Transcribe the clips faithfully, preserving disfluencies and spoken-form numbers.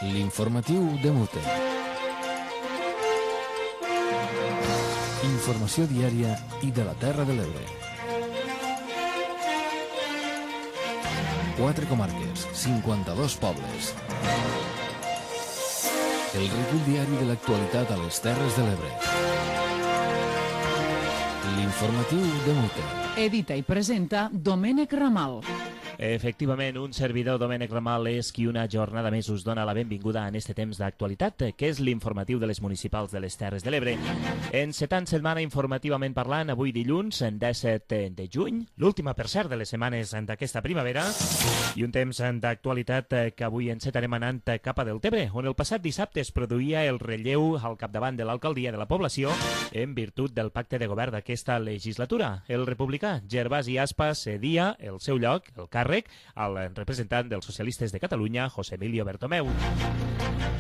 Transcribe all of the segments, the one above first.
L'informatiu de Mute. Informació diària i de la Terra de l'Ebre. Quatre comarques, cinquanta-dos pobles. El recull diari de l'actualitat a les Terres de l'Ebre. L'informatiu de Mute. Edita i presenta Domènec Ramal. Efectivament, un servidor, Domènec Ramal, és qui una jornada més us dona la benvinguda en este temps d'actualitat, que és l'informatiu de les municipals de les Terres de l'Ebre. Encetant setmana informativament parlant, avui dilluns, disset de juny, l'última, per cert, de les setmanes d'aquesta primavera, i un temps d'actualitat que avui encetarem anant cap a Deltebre, on el passat dissabte es produïa el relleu al capdavant de l'alcaldia de la població en virtut del pacte de govern d'aquesta legislatura. El republicà Gervasi Aspa cedia el seu lloc, el càrrec, al representant dels socialistes de Catalunya, José Emilio Bertomeu.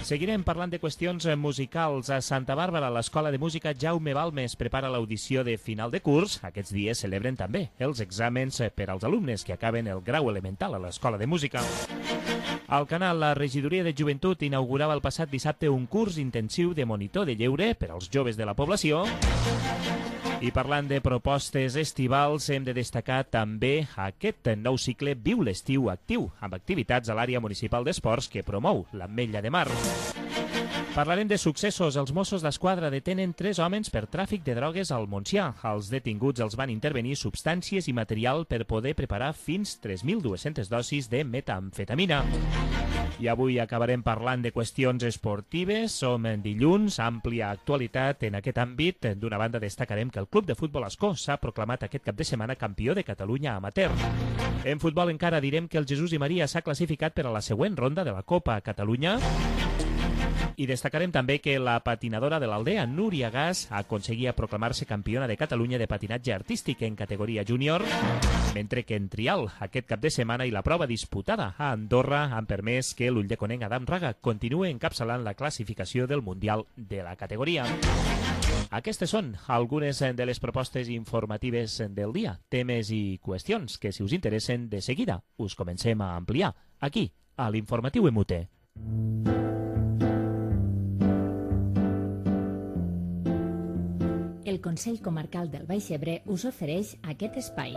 Seguirem parlant de qüestions musicals. A Santa Bàrbara, l'Escola de Música Jaume Balmes prepara l'audició de final de curs. Aquests dies celebren també els exàmens per als alumnes que acaben el grau elemental a l'Escola de Música. Al Canal, la Regidoria de Joventut inaugurava el passat dissabte un curs intensiu de monitor de lleure per als joves de la població. I parlant de propostes estivals, hem de destacar també aquest nou cicle Viu l'estiu actiu, amb activitats a l'àrea municipal d'esports que promou l'Ametlla de Mar. Parlarem de successos. Els Mossos d'Esquadra detenen tres homes per tràfic de drogues al Montsià. Els detinguts els van intervenir substàncies i material per poder preparar fins tres mil dues-centes dosis de metamfetamina. I avui acabarem parlant de qüestions esportives. Som en dilluns, àmplia actualitat en aquest àmbit. D'una banda, destacarem que el Club de Futbol Ascó s'ha proclamat aquest cap de setmana campió de Catalunya amateur. En futbol encara direm que el Jesús i Maria s'ha classificat per a la següent ronda de la Copa Catalunya. I destacarem també que la patinadora de l'Aldea, Núria Gas, aconseguia proclamar-se campiona de Catalunya de patinatge artístic en categoria júnior, mentre que en trial aquest cap de setmana i la prova disputada a Andorra han permès que l'ulldeconenc Adam Raga continue encapçalant la classificació del Mundial de la categoria. Aquestes són algunes de les propostes informatives del dia, temes i qüestions que, si us interessen, de seguida us comencem a ampliar aquí, a l'Informatiu M U T E. El Consell Comarcal del Baix Ebre us ofereix aquest espai.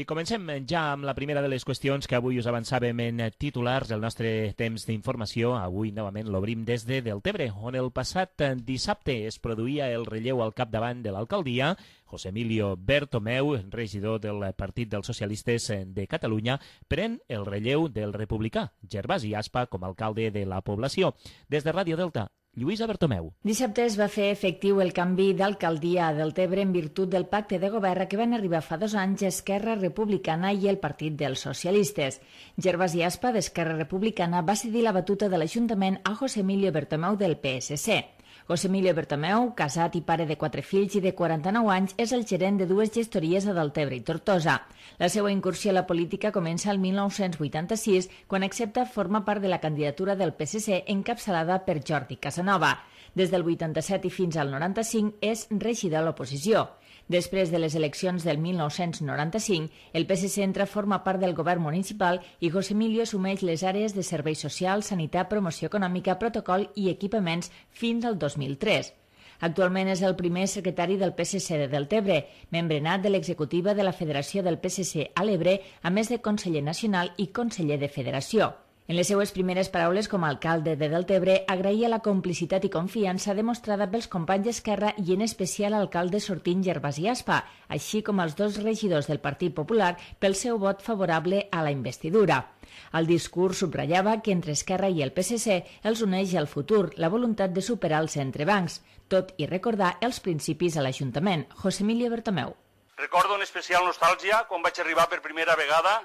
I comencem ja amb la primera de les qüestions que avui us avançàvem en titulars. El nostre temps d'informació avui novament l'obrim des de Deltebre, on el passat dissabte es produïa el relleu al capdavant de l'alcaldia. José Emilio Bertomeu, regidor del Partit dels Socialistes de Catalunya, pren el relleu del republicà Gervasi Aspa com a alcalde de la població. Des de Ràdio Delta, Lluïsa Bertomeu. Dissabte es va fer efectiu el canvi d'alcaldia a Deltebre en virtut del pacte de govern que van arribar fa dos anys Esquerra Republicana i el Partit dels Socialistes. Gervasi Aspa, d'Esquerra Republicana, va cedir la batuta de l'Ajuntament a José Emilio Bertomeu del P S C. José Emilio Bertomeu, casat i pare de quatre fills i de quaranta-nou anys, és el gerent de dues gestories a Deltebre i Tortosa. La seva incursió a la política comença el mil nou-cents vuitanta-sis, quan accepta formar part de la candidatura del P S C encapçalada per Jordi Casanova. Des del vuitanta-set i fins al noranta-cinc és regidor a l'oposició. Després de les eleccions del mil nou-cents noranta-cinc, el P S C entra a formar part del govern municipal i José Emilio assumeix les àrees de serveis socials, sanitat, promoció econòmica, protocol i equipaments fins al dos mil tres. Actualment és el primer secretari del P S C de Deltebre, membre nat de l'executiva de la Federació del P S C a l'Ebre, a més de conseller nacional i conseller de federació. En les seues primeres paraules com a alcalde de Deltebre, agraïa la complicitat i confiança demostrada pels companys d'Esquerra i en especial l'alcalde sortint Gervasi Aspa, així com els dos regidors del Partit Popular pel seu vot favorable a la investidura. El discurs subratllava que entre Esquerra i el P S C els uneix el futur, la voluntat de superar els entrebancs, tot i recordar els principis a l'Ajuntament. José Emilio Bertomeu. Recordo en especial nostàlgia quan vaig arribar per primera vegada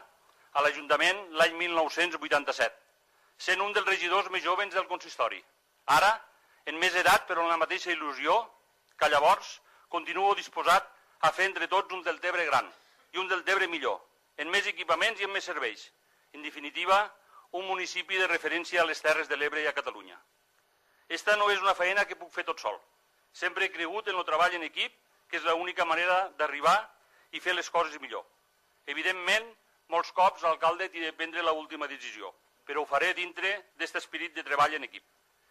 a l'Ajuntament l'any mil nou-cents vuitanta-set, sent un dels regidors més joves del consistori. Ara, en més edat però amb la mateixa il·lusió, que llavors continuo disposat a fer entre tots un Deltebre gran i un Deltebre millor, en més equipaments i en més serveis. En definitiva, un municipi de referència a les Terres de l'Ebre i a Catalunya. Esta no és una feina que puc fer tot sol. Sempre he cregut en el treball en equip que és l'única manera d'arribar i fer les coses millor. Evidentment, molts cops l'alcalde té de prendre l'última decisió, però ho faré dintre d'aquest esperit de treball en equip.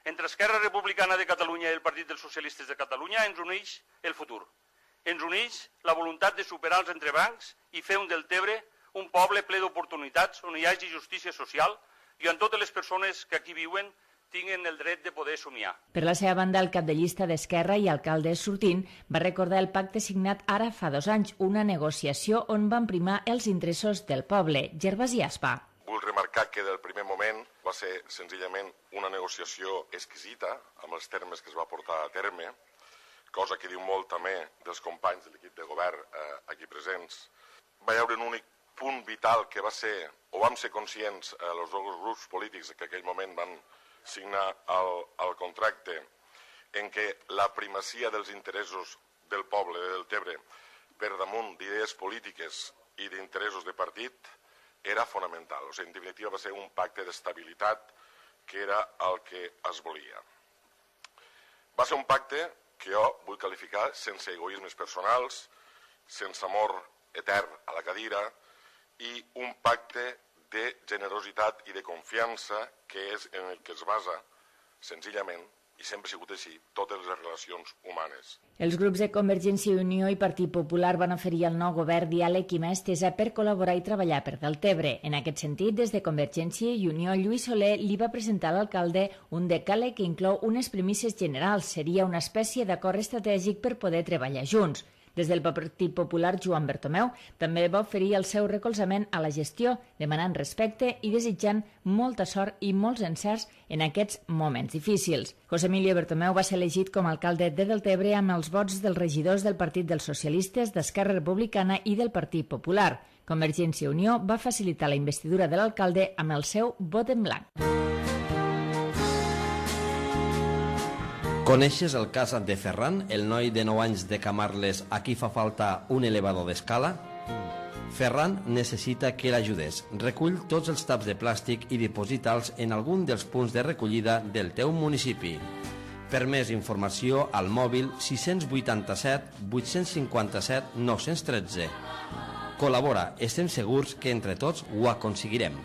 Entre Esquerra Republicana de Catalunya i el Partit dels Socialistes de Catalunya ens uneix el futur. Ens uneix la voluntat de superar els entrebancs i fer un Deltebre un poble ple d'oportunitats on hi hagi justícia social i on totes les persones que aquí viuen tinguin el dret de poder somiar. Per la seva banda, el cap de llista d'Esquerra i alcalde sortint va recordar el pacte signat ara fa dos anys, una negociació on van primar els interessos del poble. Gervasi Aspa. Vull remarcar que del primer moment va ser senzillament una negociació exquisita amb els termes que es va portar a terme, cosa que diu molt també dels companys de l'equip de govern eh, aquí presents. Va hi haure un únic punt vital que va ser, o vam ser conscients eh, els dos grups polítics que en aquell moment van signar el, el contracte, en què la primacia dels interessos del poble de Deltebre per damunt d'idees polítiques i d'interessos de partit era fonamental. O sigui, en definitiva va ser un pacte d'estabilitat que era el que es volia. Va ser un pacte que jo vull qualificar sense egoismes personals, sense amor etern a la cadira, i un pacte de generositat i de confiança que és en el que es basa, senzillament, i sempre ha sigut així, totes les relacions humanes. Els grups de Convergència i Unió i Partit Popular van oferir al nou govern diàleg i mà estesa per col·laborar i treballar per Deltebre. En aquest sentit, des de Convergència i Unió, Lluís Soler li va presentar a l'alcalde un decàleg que inclou unes premisses generals. Seria una espècie d'acord estratègic per poder treballar junts. Des del Partit Popular, Joan Bertomeu també va oferir el seu recolzament a la gestió, demanant respecte i desitjant molta sort i molts encerts en aquests moments difícils. José Emilio Bertomeu va ser elegit com a alcalde de Deltebre amb els vots dels regidors del Partit dels Socialistes, d'Esquerra Republicana i del Partit Popular. Convergència i Unió va facilitar la investidura de l'alcalde amb el seu vot en blanc. Coneixes el cas de Ferran, el noi de nou anys de Camarles a qui fa falta un elevador d'escala? Ferran necessita que l'ajudes. Recull tots els taps de plàstic i diposita'ls en algun dels punts de recollida del teu municipi. Per més informació, al mòbil sis vuitanta-set vuit cinquanta-set nou tretze. Col·labora, estem segurs que entre tots ho aconseguirem.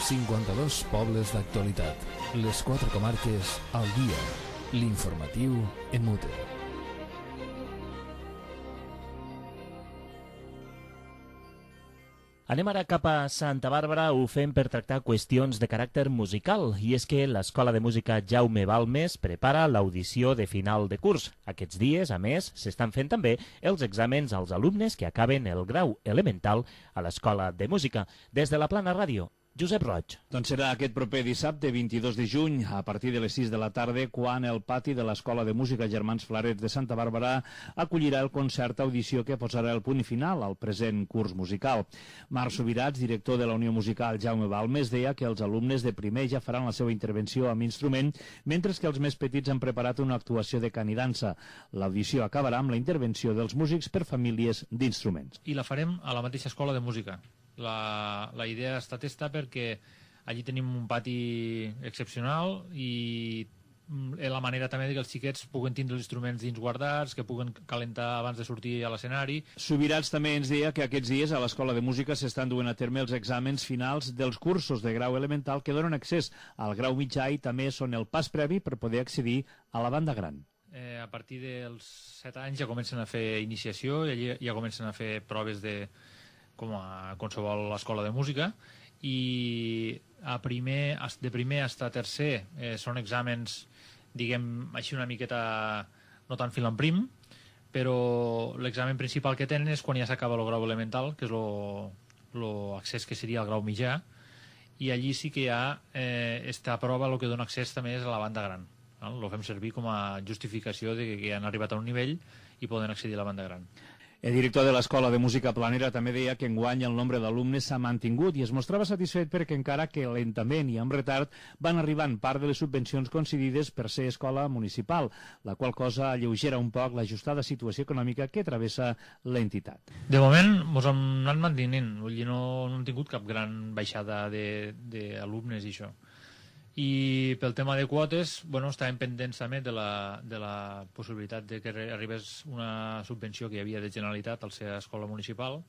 cinquanta-dos pobles d'actualitat. Les quatre comarques al dia. L'informatiu en mute. Anem ara cap a Santa Bàrbara, ho fem per tractar qüestions de caràcter musical, i és que l'Escola de Música Jaume Balmes prepara l'audició de final de curs. Aquests dies, a més, s'estan fent també els exàmens als alumnes que acaben el grau elemental a l'Escola de Música. Des de la Plana Ràdio, Josep Roig. Doncs serà aquest proper dissabte, vint-i-dos de juny, a partir de les sis de la tarda, quan el pati de l'Escola de Música Germans Flarets de Santa Bàrbara acollirà el concert audició que posarà el punt final al present curs musical. Marc Subirats, director de la Unió Musical Jaume Balmes, deia que els alumnes de primer ja faran la seva intervenció amb instrument, mentre que els més petits han preparat una actuació de cant i dansa. L'audició acabarà amb la intervenció dels músics per famílies d'instruments. I la farem a la mateixa escola de música. La, la idea ha estat esta perquè allí tenim un pati excepcional i la manera també que els xiquets puguen tindre els instruments dins guardats, que puguen calentar abans de sortir a l'escenari. Subirats també ens deia que aquests dies a l'Escola de Música s'estan duent a terme els exàmens finals dels cursos de grau elemental que donen accés al grau mitjà i també són el pas previ per poder accedir a la banda gran. Eh, a partir dels set anys ja comencen a fer iniciació i allí ja comencen a fer proves de com a qualsevol escola de música, i a primer, de primer a tercer eh, són exàmens, diguem així una miqueta no tan fil en prim, però l'examen principal que tenen és quan ja s'acaba el grau elemental, que és l'accés que seria el grau mitjà, i allí sí que hi ha eh, esta prova, el que dona accés també és a la banda gran. El fem servir com a justificació de que han arribat a un nivell i poden accedir a la banda gran. El director de l'Escola de Música Planera també deia que enguany el nombre d'alumnes s'ha mantingut i es mostrava satisfet perquè encara que lentament i amb retard van arribant part de les subvencions concedides per ser escola municipal, la qual cosa alleugera un poc l'ajustada situació econòmica que travessa l'entitat. De moment ens hem anat mantenint, vull dir, no, no hem tingut cap gran baixada d'alumnes i això. I pel tema de quotes, bueno, estàvem pendents també de la, de la possibilitat de que arribés una subvenció que hi havia de Generalitat al ser escola municipal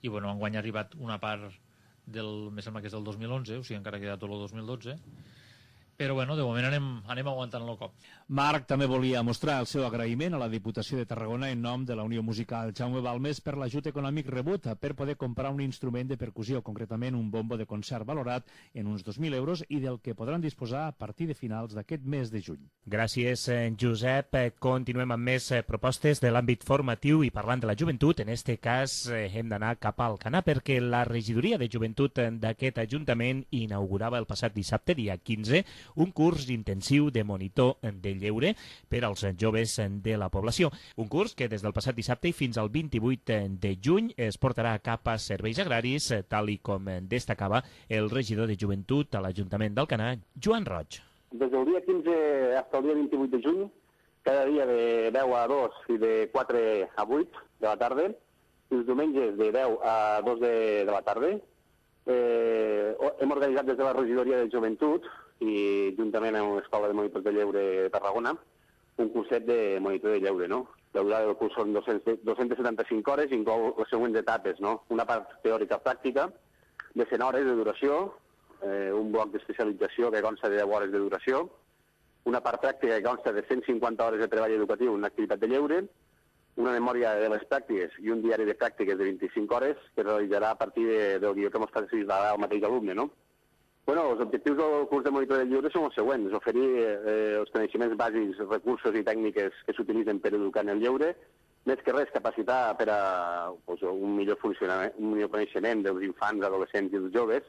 i bueno, enguany ha arribat una part del, me sembla que és del dos mil onze, o sigui encara queda tot el dos mil dotze, però bueno, de moment anem, anem aguantant el cop. Marc també volia mostrar el seu agraïment a la Diputació de Tarragona en nom de la Unió Musical Jaume Balmes per l'ajut econòmic rebut per poder comprar un instrument de percussió, concretament un bombo de concert valorat en uns dos mil euros i del que podran disposar a partir de finals d'aquest mes de juny. Gràcies, Josep. Continuem amb més propostes de l'àmbit formatiu i parlant de la joventut. En aquest cas hem d'anar cap al Alcanar perquè la regidoria de joventut d'aquest ajuntament inaugurava el passat dissabte, dia quinze, un curs intensiu de monitor de lleure per als joves de la població. Un curs que des del passat dissabte i fins al vint-i-vuit de juny es portarà a cap a serveis agraris, tal i com destacava el regidor de joventut a l'Ajuntament d'Alcanar, Joan Roig. Des del dia quinze fins al dia vint-i-vuit de juny, cada dia de deu a dos i de quatre a vuit de la tarda, i els diumenges de deu a dos de, de la tarda, eh, hem organitzat des de la regidoria de joventut i juntament amb l'Escola de Monitors de Lleure de Tarragona, un curset de monitor de lleure, no? La durada del curs són dos-centes setanta-cinc hores i inclou les següents etapes, no? Una part teòrica pràctica de cent hores de duració, eh, un bloc d'especialització que consta de deu hores de duració, una part pràctica que consta de cent cinquanta hores de treball educatiu en activitat de lleure, una memòria de les pràctiques i un diari de pràctiques de vint-i-cinc hores que es realitzarà a partir de, del guió que mos facilitarà el mateix alumne, no? Bueno, els objectius del curs de monitor de lleure són els següents: oferir eh, els coneixements bàsics, recursos i tècniques que s'utilitzen per educar en el lleure, més que res capacitar per a pues, un millor funcionament, un millor coneixement dels infants, adolescents i dels joves,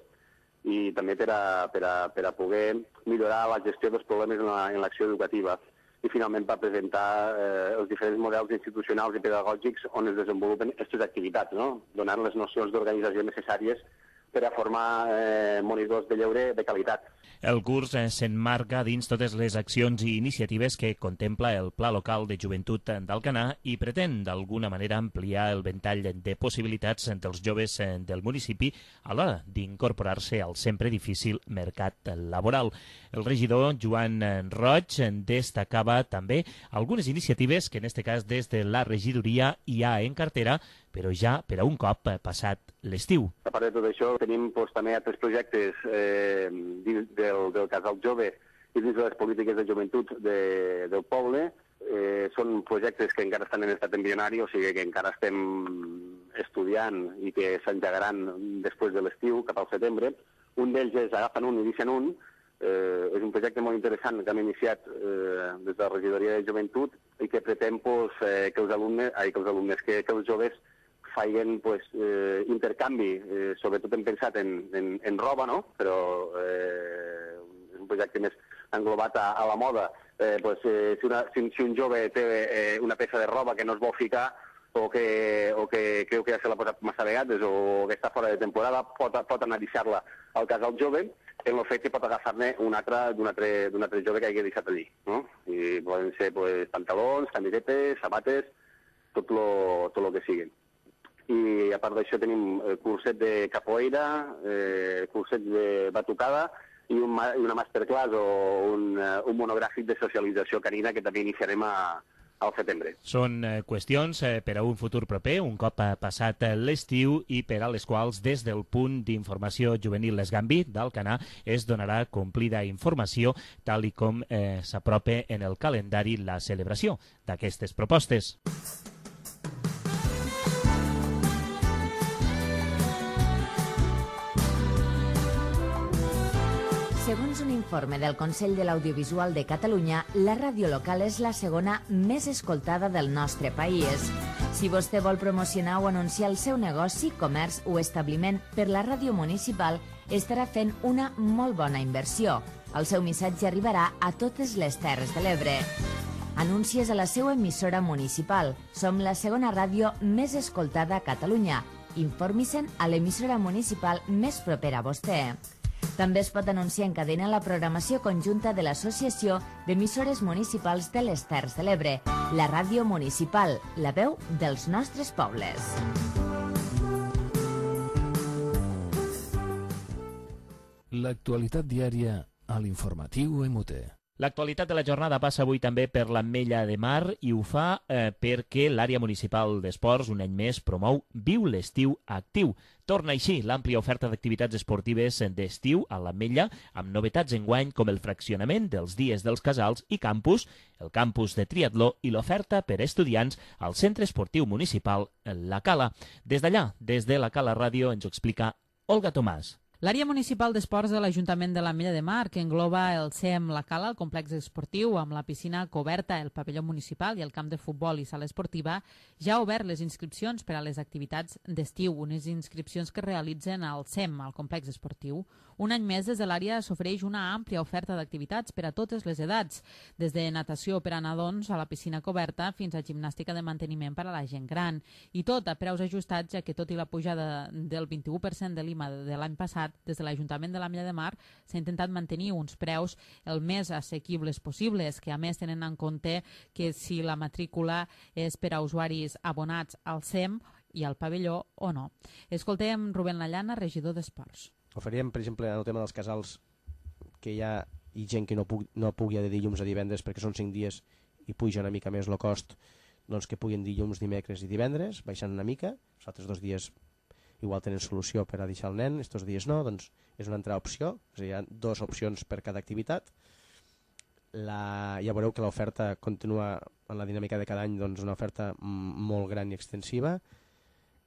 i també per a, per a, per a poder millorar la gestió dels problemes en l'acció educativa. I finalment per presentar eh, els diferents models institucionals i pedagògics on es desenvolupen aquestes activitats, no? Donant les nocions d'organització necessàries per a formar eh, monitors de lleure de qualitat. El curs eh, s'emmarca dins totes les accions i iniciatives que contempla el Pla Local de Joventut d'Alcanar i pretén d'alguna manera ampliar el ventall de possibilitats dels joves eh, del municipi a l'hora d'incorporar-se al sempre difícil mercat laboral. El regidor Joan Roig destacava també algunes iniciatives que en aquest cas des de la regidoria hi ha en cartera, però ja per a un cop passat l'estiu. A part de tot això, tenim doncs, també altres projectes eh, dins del, del Casal Jove i dins de les polítiques de joventut de, del poble. Eh, són projectes que encara estan en estat embrionari, o sigui que encara estem estudiant i que s'engegaran després de l'estiu, cap al setembre. Un d'ells és Agafen un i deixen un. Eh, és un projecte molt interessant que hem iniciat eh, des de la regidoria de joventut i que pretén pues, eh, que els alumnes, ai, que els alumnes, que, que els joves facin pues, eh, intercanvi, eh, sobretot hem pensat en, en, en roba, no? Però eh, és un projecte més englobat a, a la moda. Eh, pues, eh, si, una, si, si un jove té eh, una peça de roba que no es vol ficar o que, o que creu que ja se l'ha posat massa vegades o que està fora de temporada, pot, pot anar a deixar-la al casal jove, en el fet que pot agafar-ne un altre d'un altre, d'un altre jove que hagi deixat allí, no? I poden ser pues, pantalons, camisetes, sabates, tot lo, tot lo que siguin. I a part d'això tenim el curset de capoeira, eh, curset de batucada i, un, i una masterclass o un, un monogràfic de socialització canina que també iniciarem a, al setembre. Són eh, qüestions eh, per a un futur proper, un cop ha passat eh, l'estiu i per a les quals des del punt d'informació juvenil Les Gambi d'Alcanar es donarà complida informació tal i com eh, s'apropa en el calendari la celebració d'aquestes propostes. Segons un informe del Consell de l'Audiovisual de Catalunya, la ràdio local és la segona més escoltada del nostre país. Si vostè vol promocionar o anunciar el seu negoci, comerç o establiment per la ràdio municipal, estarà fent una molt bona inversió. El seu missatge arribarà a totes les Terres de l'Ebre. Anúncies a la seva emissora municipal. Som la segona ràdio més escoltada a Catalunya. Informi-se'n a l'emissora municipal més propera a vostè. També es pot anunciar en cadena la programació conjunta de l'Associació d'Emissores Municipals de les Terres de l'Ebre, la ràdio municipal, la veu dels nostres pobles. L'actualitat diària a l'informatiu M U T. L'actualitat de la jornada passa avui també per l'Ametlla de Mar i ho fa eh, perquè l'àrea municipal d'esports un any més promou Viu l'estiu actiu. Torna així l'àmplia oferta d'activitats esportives d'estiu a l'Ametlla amb novetats enguany com el fraccionament dels dies dels casals i campus, el campus de triatló i l'oferta per a estudiants al centre esportiu municipal La Cala. Des d'allà, des de La Cala Ràdio, ens ho explica Olga Tomàs. L'àrea municipal d'esports de l'Ajuntament de l'Ametlla de Mar, que engloba el C E M La Cala, el complex esportiu amb la piscina coberta, el pavelló municipal i el camp de futbol i sala esportiva, ja ha obert les inscripcions per a les activitats d'estiu, unes inscripcions que realitzen al C E M, al complex esportiu. Un any més, des de l'àrea s'ofereix una àmplia oferta d'activitats per a totes les edats, des de natació per a nadons a la piscina coberta fins a gimnàstica de manteniment per a la gent gran. I tot a preus ajustats, ja que tot i la pujada del vint-i-u per cent de l'I M A de l'any passat, des de l'Ajuntament de l'Ametlla de Mar s'ha intentat mantenir uns preus el més assequibles possibles, que a més tenen en compte que si la matrícula és per a usuaris abonats al C E M i al pavelló o no. Escoltem Rubén Lallana, regidor d'Esports. Oferíem, per exemple, en el tema dels casals, que hi ha i gent que no, pu no pugui de dilluns a divendres perquè són cinc dies i puja una mica més el cost, doncs que puguin dilluns, dimecres i divendres, baixant una mica, els altres dos dies igual tenen solució per a deixar el nen, estos dies no, doncs és una altra opció, és a dir, hi ha dues opcions per cada activitat. La, ja veureu que l'oferta continua en la dinàmica de cada any, doncs una oferta molt gran i extensiva.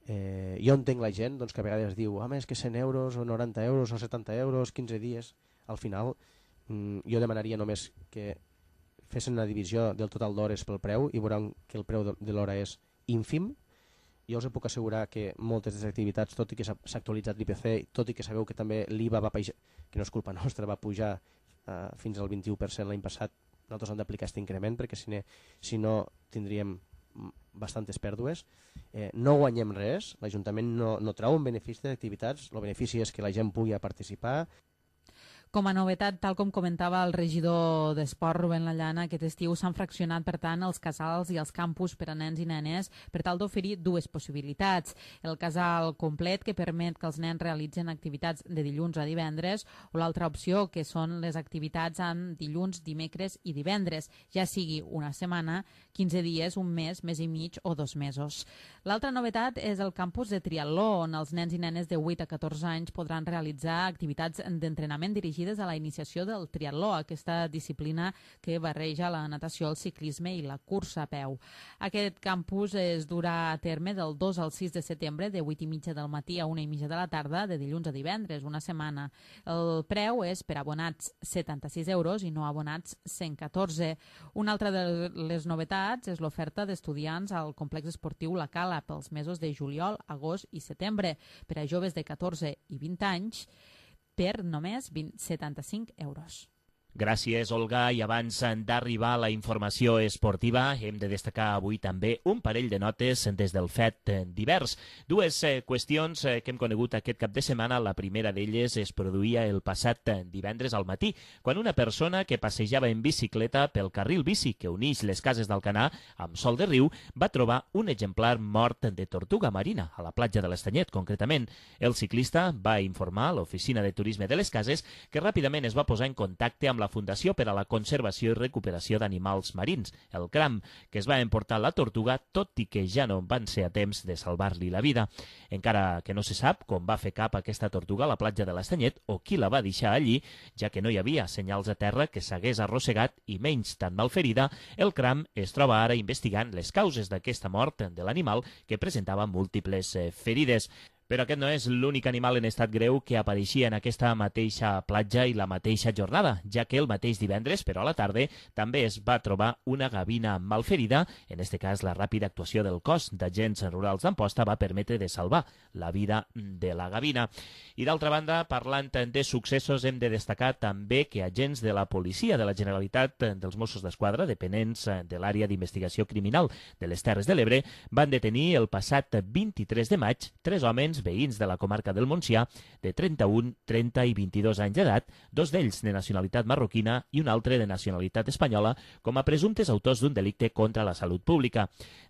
Eh, jo entenc la gent doncs, que a vegades diu ah, més que cent euros o noranta euros o setanta euros, quinze dies. Al final mm, jo demanaria només que fessin una divisió del total d'hores pel preu i veuran que el preu de, de l'hora és ínfim. Jo us puc assegurar que moltes de les activitats, tot i que s'ha actualitzat l'I P C, tot i que sabeu que també l'I V A va pujar, que no és culpa nostra, va pujar eh, fins al vint-i-u per cent l'any passat, nosaltres hem d'aplicar aquest increment perquè si, ne, si no tindríem bastantes pèrdues. Eh, no guanyem res, l'Ajuntament no, no trau un benefici d'activitats, el benefici és que la gent pugui participar. Com a novetat, tal com comentava el regidor d'Esport, Rubén Lallana, aquest estiu s'han fraccionat, per tant, els casals i els campus per a nens i nenes per tal d'oferir dues possibilitats. El casal complet, que permet que els nens realitzen activitats de dilluns a divendres, o l'altra opció, que són les activitats en dilluns, dimecres i divendres, ja sigui una setmana, quinze dies, un mes, mes i mig o dos mesos. L'altra novetat és el campus de triatló, on els nens i nenes de vuit a catorze anys podran realitzar activitats d'entrenament dirigides a la iniciació del triatló, aquesta disciplina que barreja la natació, el ciclisme i la cursa a peu. Aquest campus es durà a terme del dos al sis de setembre, de vuit i mitja del matí a una i mitja de la tarda, de dilluns a divendres, una setmana. El preu és per abonats setanta-sis euros i no abonats cent catorze. Una altra de les novetats és l'oferta d'estudiants al complex esportiu La Cala pels mesos de juliol, agost i setembre per a joves de catorze i vint anys, per només setanta-cinc euros. Gràcies, Olga. I abans d'arribar a la informació esportiva, hem de destacar avui també un parell de notes des del fet divers. Dues eh, qüestions eh, que hem conegut aquest cap de setmana. La primera d'elles es produïa el passat divendres al matí, quan una persona que passejava en bicicleta pel carril bici que uneix les cases d'Alcanar amb Sol de Riu va trobar un exemplar mort de tortuga marina, a la platja de l'Estanyet, concretament. El ciclista va informar a l'oficina de turisme de les cases que ràpidament es va posar en contacte amb la Fundació per a la Conservació i Recuperació d'Animals Marins, el CRAM, que es va emportar la tortuga, tot i que ja no van ser a temps de salvar-li la vida. Encara que no se sap com va fer cap aquesta tortuga a la platja de l'Estanyet o qui la va deixar allí, ja que no hi havia senyals a terra que s'hagués arrossegat i menys tan malferida, el CRAM es troba ara investigant les causes d'aquesta mort de l'animal que presentava múltiples ferides. Però aquest no és l'únic animal en estat greu que apareixia en aquesta mateixa platja i la mateixa jornada, ja que el mateix divendres, però a la tarda, també es va trobar una gavina malferida. En aquest cas, la ràpida actuació del cos d'agents rurals d'Amposta va permetre de salvar la vida de la gavina. I d'altra banda, parlant de successos, hem de destacar també que agents de la policia de la Generalitat dels Mossos d'Esquadra, dependents de l'àrea d'investigació criminal de les Terres de l'Ebre, van detenir el passat vint-i-tres de maig tres homes veïns de la comarca del Montsià de trenta-un, trenta i vint-i-dos anys d'edat, dos d'ells de nacionalitat marroquina i un altre de nacionalitat espanyola, com a presumptes autors d'un delicte contra la salut pública.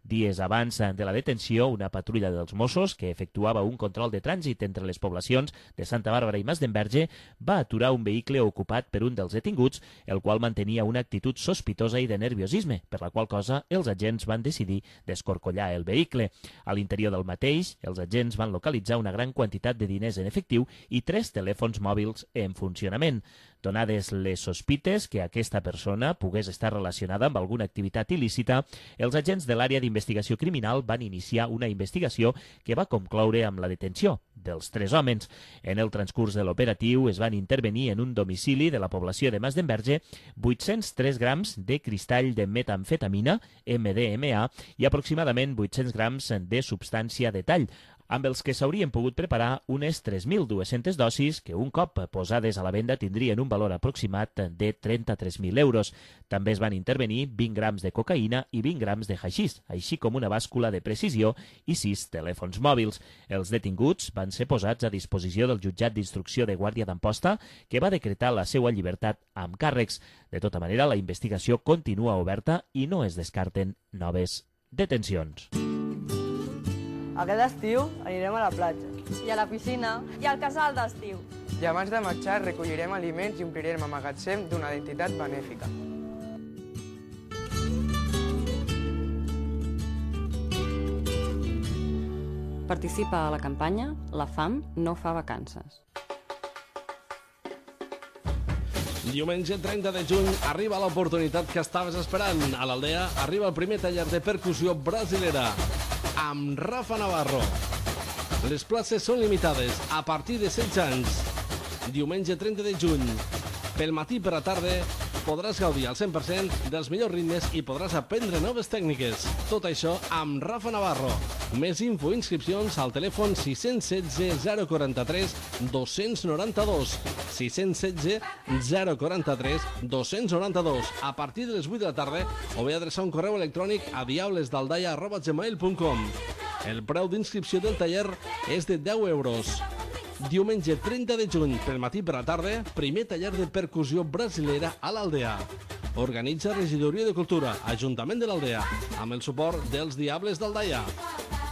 Dies abans de la detenció, una patrulla dels Mossos, que efectuava un control de trànsit entre les poblacions de Santa Bàrbara i Masdenverge, va aturar un vehicle ocupat per un dels detinguts, el qual mantenia una actitud sospitosa i de nerviosisme, per la qual cosa els agents van decidir descorcollar el vehicle. A l'interior del mateix, els agents van localitzar una gran quantitat de diners en efectiu i tres telèfons mòbils en funcionament. Donades les sospites que aquesta persona pogués estar relacionada amb alguna activitat il·lícita, els agents de l'àrea d'investigació criminal van iniciar una investigació que va concloure amb la detenció dels tres homes. En el transcurs de l'operatiu es van intervenir en un domicili de la població de Masdenverge vuit-cents tres grams de cristall de metamfetamina, M D M A, i aproximadament vuit-cents grams de substància de tall, amb els que s'haurien pogut preparar unes tres mil dues-centes dosis que un cop posades a la venda tindrien un valor aproximat de trenta-tres mil euros. També es van intervenir vint grams de cocaïna i vint grams de haixís, així com una bàscula de precisió i sis telèfons mòbils. Els detinguts van ser posats a disposició del jutjat d'instrucció de Guàrdia d'Amposta, que va decretar la seva llibertat amb càrrecs. De tota manera, la investigació continua oberta i no es descarten noves detencions. Aquest estiu anirem a la platja. I a la piscina. I al casal d'estiu. I abans de marxar recollirem aliments i omplirem el magatzem d'una entitat benèfica. Participa a la campanya La fam no fa vacances. Diumenge trenta de juny arriba l'oportunitat que estaves esperant. A l'Aldea arriba el primer taller de percussió brasilera amb Rafa Navarro. Les places són limitades a partir de setze anys. Diumenge trenta de juny, pel matí per la tarda, podràs gaudir al cent per cent dels millors ritmes i podràs aprendre noves tècniques. Tot això amb Rafa Navarro. Més info i inscripcions al telèfon sis un sis zero quatre tres dos nou dos. sis un sis zero quatre tres dos nou dos. A partir de les vuit de la tarda o bé adreçar un correu electrònic a diablesdaldaia arroba gmail punt com. El preu d'inscripció del taller és de deu euros. Diumenge trenta de juny, pel matí per la tarda, primer taller de percussió brasilera a l'Aldea. Organitza Regidoria de Cultura, Ajuntament de l'Aldea, amb el suport dels Diables d'Aldaia.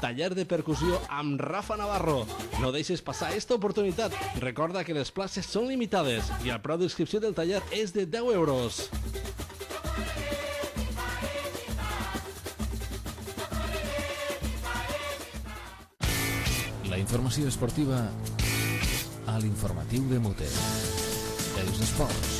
Taller de percussió amb Rafa Navarro. No deixes passar aquesta oportunitat. Recorda que les places són limitades i el preu d'inscripció del taller és de deu euros. La informació esportiva a l'informatiu de Mote. Els esports.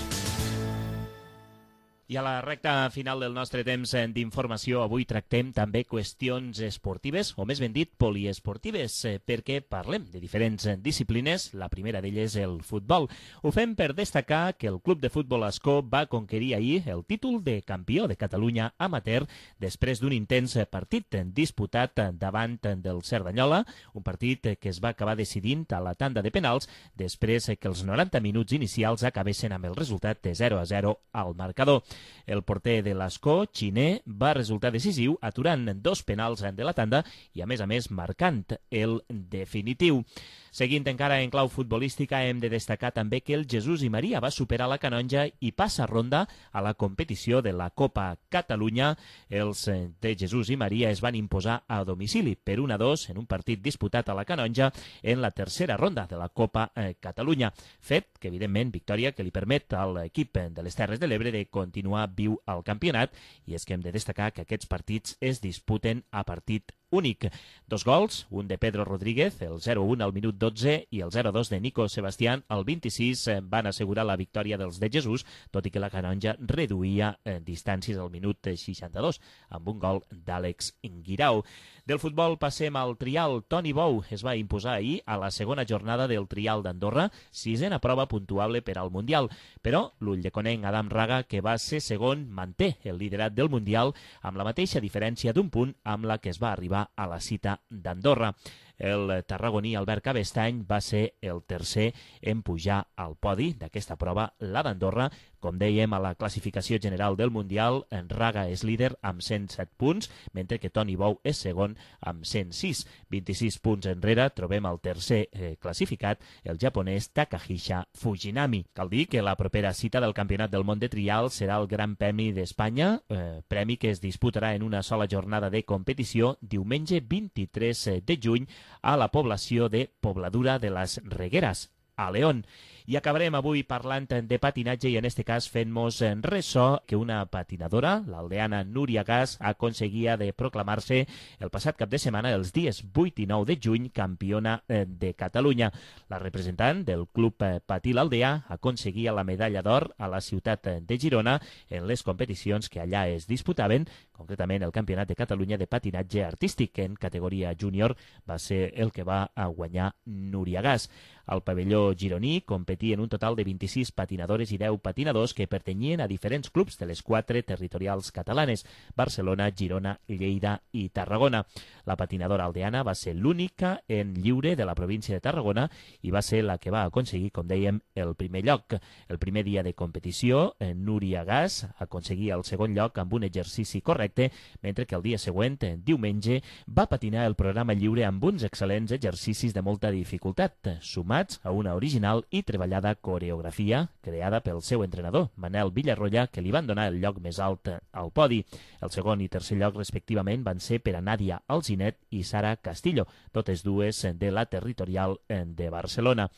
I a la recta final del nostre temps d'informació, avui tractem també qüestions esportives, o més ben dit, poliesportives, perquè parlem de diferents disciplines. La primera d'elles és el futbol. Ho fem per destacar que el Club de Futbol Ascó va conquerir ahir el títol de campió de Catalunya amateur després d'un intens partit disputat davant del Cerdanyola, un partit que es va acabar decidint a la tanda de penals després que els noranta minuts inicials acabessin amb el resultat de zero a zero al marcador. El porter de l'Ascó, Xiner, va resultar decisiu aturant dos penals de la tanda i, a més a més, marcant el definitiu. Seguint encara en clau futbolística, hem de destacar també que el Jesús i Maria va superar la Canonja i passa ronda a la competició de la Copa Catalunya. Els de Jesús i Maria es van imposar a domicili per un a dos en un partit disputat a la Canonja en la tercera ronda de la Copa Catalunya. Fet que, evidentment, victòria que li permet a l'equip de les Terres de l'Ebre de continuar viu al campionat, i és que hem de destacar que aquests partits es disputen a partit únic. Dos gols, un de Pedro Rodríguez, el zero un al minut dotze, i el zero dos de Nico Sebastián al vint-i-sis van assegurar la victòria dels de Jesús, tot i que la Canonja reduïa eh, distàncies al minut seixanta-dos, amb un gol d'Àlex Guirao. Del futbol passem al trial. Toni Bou es va imposar ahir a la segona jornada del trial d'Andorra, sisena prova puntuable per al Mundial. Però l'ulldeconenc Adam Raga, que va ser segon, manté el liderat del Mundial amb la mateixa diferència d'un punt amb la que es va arribar a la cita d'Andorra. El tarragoní Albert Cabestany va ser el tercer en pujar al podi d'aquesta prova, la d'Andorra. Com dèiem, a la classificació general del Mundial, en Raga és líder amb cent set punts, mentre que Toni Bou és segon amb cent sis. vint-i-sis punts enrere trobem el tercer eh, classificat, el japonès Takahisa Fujinami. Cal dir que la propera cita del Campionat del Món de Trial serà el Gran Premi d'Espanya, eh, premi que es disputarà en una sola jornada de competició diumenge vint-i-tres de juny a la població de Pobladura de les Regueres, a León. I acabarem avui parlant de patinatge i en este cas fent-nos ressò que una patinadora, l'aldeana Núria Gas, aconseguia de proclamar-se el passat cap de setmana, els dies vuit i nou de juny, campiona de Catalunya. La representant del Club Patí l'Aldea aconseguia la medalla d'or a la ciutat de Girona en les competicions que allà es disputaven, concretament el Campionat de Catalunya de patinatge artístic, que en categoria júnior va ser el que va guanyar Núria Gas. Al pavelló gironí competien un total de vint-i-sis patinadores i deu patinadors que pertanyien a diferents clubs de les quatre territorials catalanes: Barcelona, Girona, Lleida i Tarragona. La patinadora aldeana va ser l'única en lliure de la província de Tarragona i va ser la que va aconseguir, com dèiem, el primer lloc. El primer dia de competició, Núria Gas aconseguia el segon lloc amb un exercici correcte, mentre que el dia següent, diumenge, va patinar el programa lliure amb uns excel·lents exercicis de molta dificultat, sumats a una original i treballada coreografia creada pel seu entrenador, Manel Villarroya, que li van donar el lloc més alt al podi. El segon i tercer lloc, respectivament, van ser per a Nàdia Alzinet i Sara Castillo, totes dues de la territorial de Barcelona.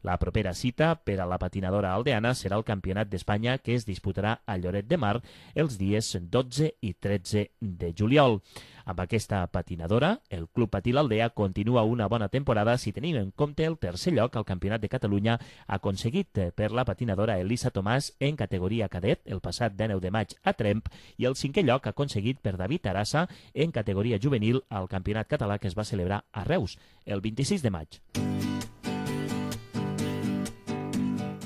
La propera cita per a la patinadora aldeana serà el Campionat d'Espanya, que es disputarà a Lloret de Mar els dies dotze i tretze de juliol. Amb aquesta patinadora, el Club Patí l'Aldea continua una bona temporada si tenim en compte el tercer lloc al Campionat de Catalunya aconseguit per la patinadora Elisa Tomàs en categoria cadet el passat dinou de maig a Tremp i el cinquè lloc aconseguit per David Arassa en categoria juvenil al Campionat Català que es va celebrar a Reus el vint-i-sis de maig.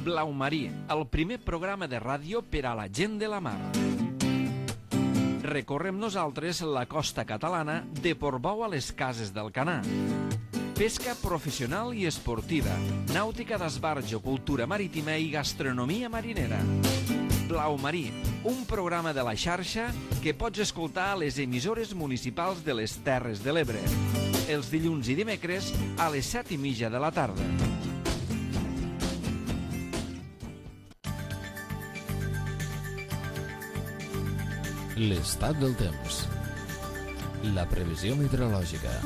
Blau Marí, el primer programa de ràdio per a la gent de la mar. Recorrem nosaltres la costa catalana de Portbou a les Cases del Canà. Pesca professional i esportiva, nàutica d'esbarjo, cultura marítima i gastronomia marinera. Blau Marí, un programa de la xarxa que pots escoltar a les emissores municipals de les Terres de l'Ebre. Els dilluns i dimecres a les set i mitja de la tarda. L'estat del temps. La previsió meteorològica.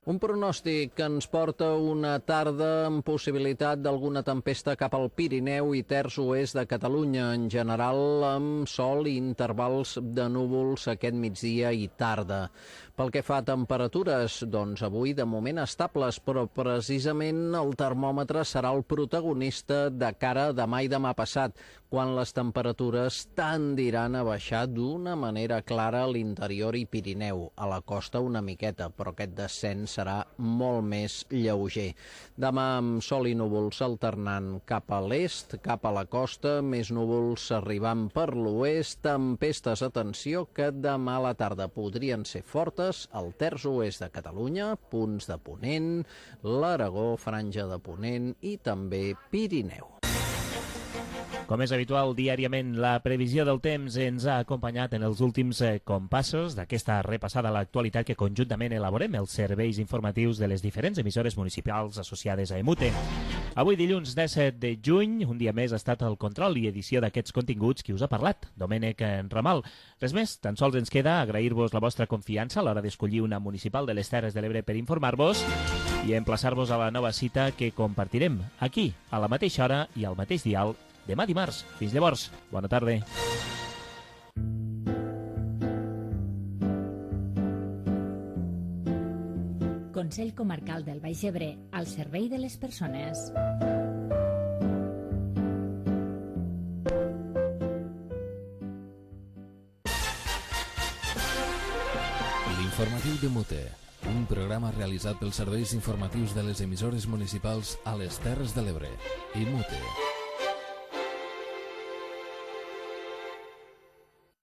Un pronòstic que ens porta una tarda amb possibilitat d'alguna tempesta cap al Pirineu i terç oest de Catalunya, en general amb sol i intervals de núvols aquest migdia i tarda. Pel que fa a temperatures, doncs avui de moment estables, però precisament el termòmetre serà el protagonista de cara a demà i demà passat, quan les temperatures tendiran a baixar d'una manera clara a l'interior i Pirineu, a la costa una miqueta, però aquest descens serà molt més lleuger. Demà amb sol i núvols alternant cap a l'est, cap a la costa, més núvols arribant per l'oest, tempestes, atenció, que demà a la tarda podrien ser fortes al terç oest de Catalunya, punts de Ponent, l'Aragó, franja de Ponent i també Pirineu. Com és habitual, diàriament la previsió del temps ens ha acompanyat en els últims eh, compassos d'aquesta repassada a l'actualitat que conjuntament elaborem els serveis informatius de les diferents emissores municipals associades a Emute. Avui, dilluns disset de juny, un dia més ha estat el control i edició d'aquests continguts qui us ha parlat, Domènec Ramal. Res més, tan sols ens queda agrair-vos la vostra confiança a l'hora d'escollir una municipal de les Terres de l'Ebre per informar-vos i emplaçar-vos a la nova cita que compartirem aquí, a la mateixa hora i al mateix dial, demà dimarts. Fins llavors, bona tarda. Consell Comarcal del Baix Ebre, al servei de les persones. L'informatiu de Mute, un programa realitzat pels serveis informatius de les emissores municipals a les Terres de l'Ebre i Mute.